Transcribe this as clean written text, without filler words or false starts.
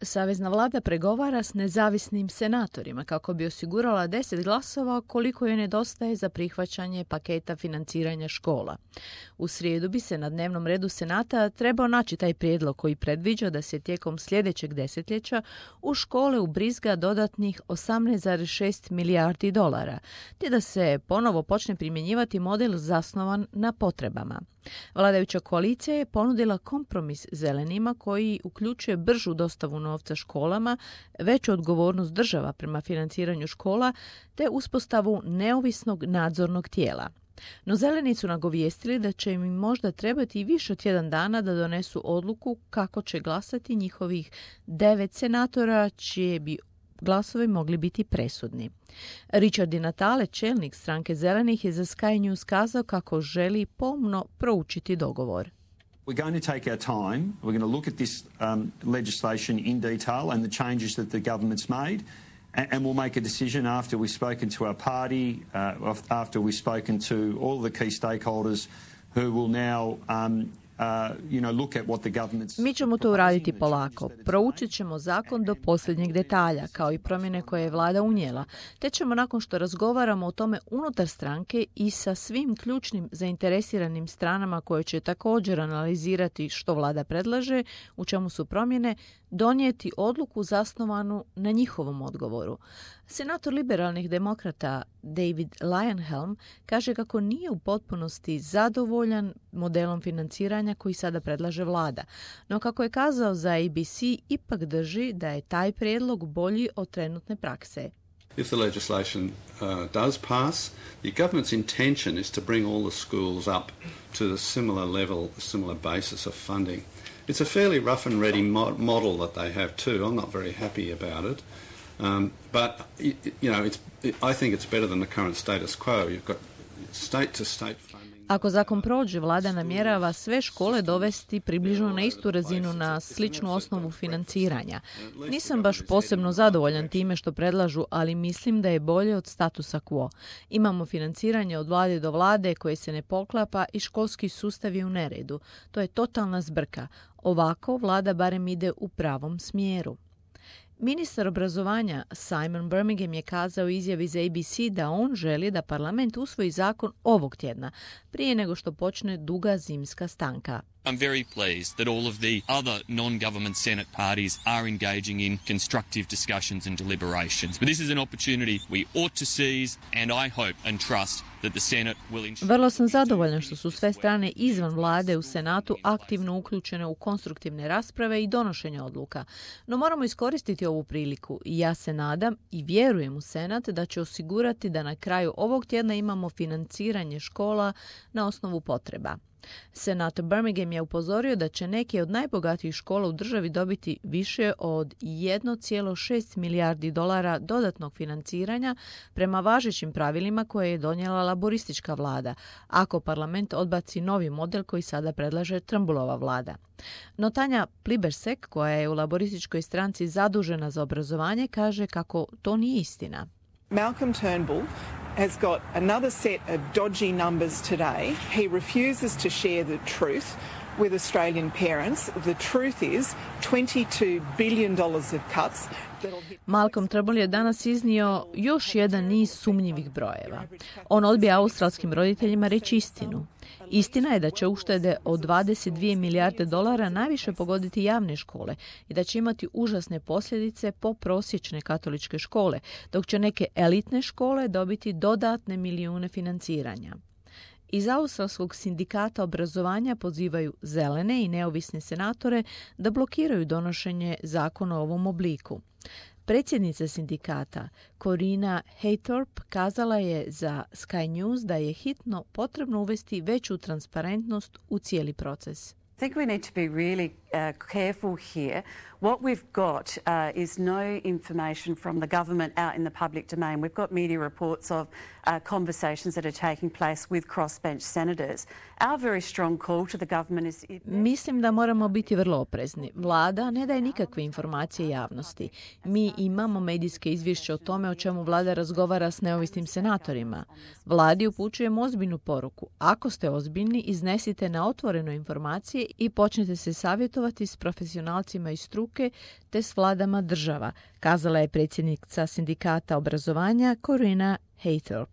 Savezna vlada pregovara s nezavisnim senatorima kako bi osigurala 10 glasova koliko joj nedostaje za prihvaćanje paketa financiranja škola. U srijedu bi se na dnevnom redu Senata trebao naći taj prijedlog koji predviđa da se tijekom sljedećeg desetljeća u škole ubrizga dodatnih 18,6 milijardi dolara, te da se ponovo počne primjenjivati model zasnovan na potrebama. Vladajuća koalicija je ponudila kompromis zelenima koji uključuje bržu dostavu novca školama, veću odgovornost država prema financiranju škola te uspostavu neovisnog nadzornog tijela. No zeleni su nagovijestili da će im možda trebati i više od tjedan dana da donesu odluku kako će glasati njihovih 9 senatora čije bi glasovi mogli biti presudni. Richard Di Natale, čelnik stranke zelenih, je za Sky News kazao kako želi pomno proučiti dogovor. We're going to take our time. We're going to look at this legislation in detail and the changes that the government's made, and we'll make a decision after we've spoken to our party, after we've spoken to all the key stakeholders who will now look at what the government's... Mi ćemo to uraditi polako. Proučit ćemo zakon do posljednjeg detalja, kao i promjene koje je vlada unijela, te ćemo nakon što razgovaramo o tome unutar stranke i sa svim ključnim zainteresiranim stranama koje će također analizirati što vlada predlaže, u čemu su promjene, donijeti odluku zasnovanu na njihovom odgovoru. Senator liberalnih demokrata David Leyonhjelm kaže kako nije u potpunosti zadovoljan modelom financiranja koji sada predlaže vlada, no kako je kazao za ABC, ipak drži da je taj prijedlog bolji od trenutne prakse. If the legislation does pass, the government's intention is to bring all the schools up to the similar level, the similar basis of funding. It's a fairly rough and ready model that they have too. I'm not very happy about it. But I think it's better than the current status quo. You've got state-to-state funding. Ako zakon prođe, vlada namjerava sve škole dovesti približno na istu razinu, na sličnu osnovu financiranja. Nisam baš posebno zadovoljan time što predlažu, ali mislim da je bolje od statusa quo. Imamo financiranje od vlade do vlade koje se ne poklapa i školski sustav je u neredu. To je totalna zbrka. Ovako vlada barem ide u pravom smjeru. Ministar obrazovanja Simon Birmingham je kazao u izjavi za ABC da on želi da parlament usvoji zakon ovog tjedna, prije nego što počne duga zimska stanka. I'm very pleased that all of the other non-government Senate parties are engaging in constructive discussions and deliberations. But this is an opportunity we ought to seize, and I hope and trust that the Senate will ensure... Vrlo sam zadovoljan što su sve strane izvan vlade u Senatu aktivno uključene u konstruktivne rasprave i donošenje odluka. No moramo iskoristiti ovu priliku i ja se nadam i vjerujem u Senat da će osigurati da na kraju ovog tjedna imamo financiranje škola na osnovu potreba. Senator Birmingham je upozorio da će neke od najbogatijih škola u državi dobiti više od 1,6 milijardi dolara dodatnog financiranja prema važećim pravilima koje je donijela laboristička vlada, ako parlament odbaci novi model koji sada predlaže Trumbullova vlada. No Tanja Plibersek, koja je u laborističkoj stranci zadužena za obrazovanje, kaže kako to nije istina. Malcolm Turnbull has got another set of dodgy numbers today. He refuses to share the truth with Australian parents. The truth is $22 billion of cuts. Malcolm Turnbull je danas iznio još jedan niz sumnjivih brojeva. On odbija australskim roditeljima reći istinu. Istina je da će uštede od 22 milijarde dolara najviše pogoditi javne škole i da će imati užasne posljedice po prosječne katoličke škole, dok će neke elitne škole dobiti dodatne milijune financiranja. Iz australskog sindikata obrazovanja pozivaju zelene i neovisne senatore da blokiraju donošenje zakona u ovom obliku. Predsjednica sindikata Corina Haythorpe kazala je za Sky News da je hitno potrebno uvesti veću transparentnost u cijeli proces. I think we need to be really careful here. What we've got is no information from the government out in the public domain. We've got media reports of conversations that are taking place with crossbench senators. Our very strong call to the government is... Mislim da moramo biti vrlo oprezni. Vlada ne daje nikakve informacije javnosti. Mi imamo medijske izvješće o tome o čemu vlada razgovara s neovisnim senatorima. Vladi upućujemo ozbiljnu poruku. Ako ste ozbiljni, iznesite na otvoreno informacije i počnete se savjetovati savjetovati s profesionalcima iz struke te s vladama država, kazala je predsjednica sindikata obrazovanja Corina Haythorpe.